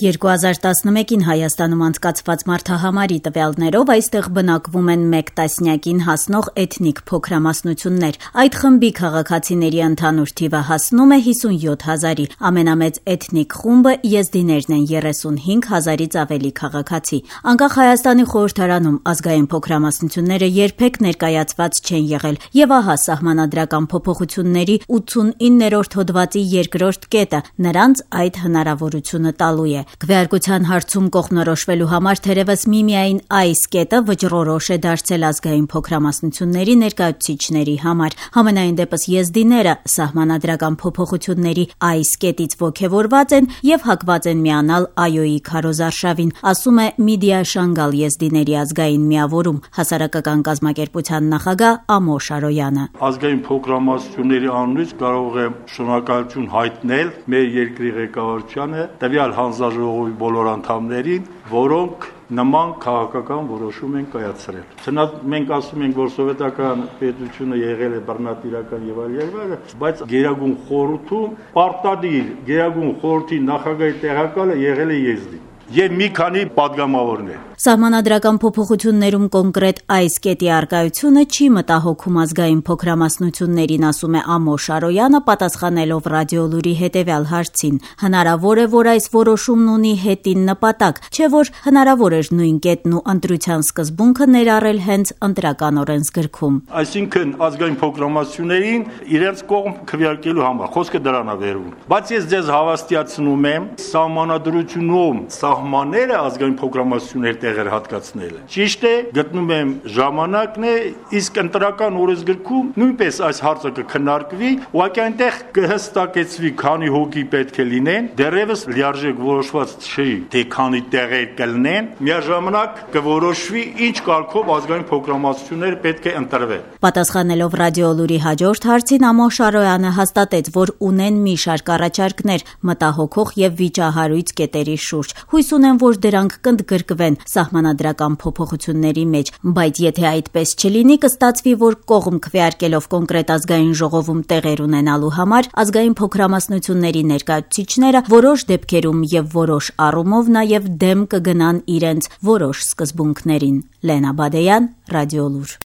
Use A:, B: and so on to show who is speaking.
A: 2011-ին Հայաստանում անցկացված մարդահամարի տվյալներով այստեղ բնակվում են 1 տասնյակին հասնող էթնիկ փոքրամասնություններ։ Այդ խմբի քաղաքացիների ընդհանուր թիվը հասնում է 57 հազարի։ Ամենամեծ էթնիկ խումբը եզդիներն են 35 հազարից ավելի քաղաքացի։ Անկախ Հայաստանի խորհրդարանում ազգային փոքրամասնությունները երբեք ներկայացված չեն եղել, եւ ահա սահմանադրական փոփոխությունների 89-րդ հոդվածի 2-րդ կետը նրանց այդ հնարավորությունը տալու է։ Քվեարկության հարցում կողմնորոշվելու համար թերևս միմիայն այս կետը վճռորոշ է դարձել ազգային փոքրամասնությունների ներկայացուցիչների համար։ Համենայն դեպս եզդիները սահմանադրական փոփոխությունների այս կետից ոգևորված են եւ հակված են միանալ ԱՅՈ-ի քարոզարշավին, ասում է Միդիա Շանգալ եզդիների ազգային միավորում հասարակական կազմակերպության նախագահ Ամոշ Արոյանը։
B: Ազգային փոքրամասնությունների անունից կարող եմ շնորհակալություն հայտնել մեր երկրի ղեկավարությանը, տվյալ հանձնաժողովի բոլոր անդամներին, որոնք նման քաղաքական որոշում են կայացրել։ Չնայած մենք ասում ենք, որ սովետական պետությունը եղել է բռնատիրական եւ այլ, բայց Գերագույն խորհրդում պարտադիր Գերագույն խորհրդի նախագահի տեղակալը եղել է եզդի եւ մի քանի падգամավորներ։
A: Սահմանադրական փոփոխություններում կոնկրետ այս կետի արկայությունը չի մտահոգում ազգային փոքրամասնություններին, ասում է Ամոշ Արոյանը, պատասխանելով ռադիոլուրի հետևյալ հարցին։ Հնարավոր է, որ այս որոշումն ունի հետին նպատակ, չէ՞ որ հնարավոր էր նույն կետն ու ընտրության սկզբունքը ներառել հենց ընտրական օրենսգրքում։
B: Այսինքն ազգային փոքրամասնություններին իրենց կողմ քվեարկելու համար խոսքը դրան է վերում։ Բայց ես ձեզ հավաստիացնում եմ, սահմանադրությունում սահմանները ազգային փոքրամասնությունների հատկացնելը։ Ճիշտ է, գտնում եմ ժամանակն է, իսկ ընտրական օրենսգրքում նույնպես այս հարցը կքննարկվի, ուղղակի այնտեղ կհստակեցվի քանի հոգի պետք է լինեն, դեռևս լիարժեք որոշված չի, թե քանի տեղեր կլինեն, միաժամանակ կորոշվի ինչ կարգով ազգային փոքրամասնությունները պետք է ընտրվեն։
A: Պատասխանելով ռադիոլուրի հաջորդ հարցին Ամոշ Արոյանը հաստատեց, որ ունեն մի շարք առաջարկներ մտահոգող եւ վիճահարույց կետերի շուրջ։ Հույս ունեն, որ դրանք կընդգրկվեն սահմանադրական փոփոխությունների մեջ, բայց եթե այդպես չլինի, կստացվի, որ կողմ քվեարկելով կոնկրետ ազգային ժողովում տեղեր ունենալու համար ազգային փոքրամասնությունների ներկայացուցիչները որոշ դեպքերում եւ որոշ առումով նաեւ դեմ կգնան իրենց որոշ սկզբունքներին։ Լենա Բադեյան, Ռադիոլուր։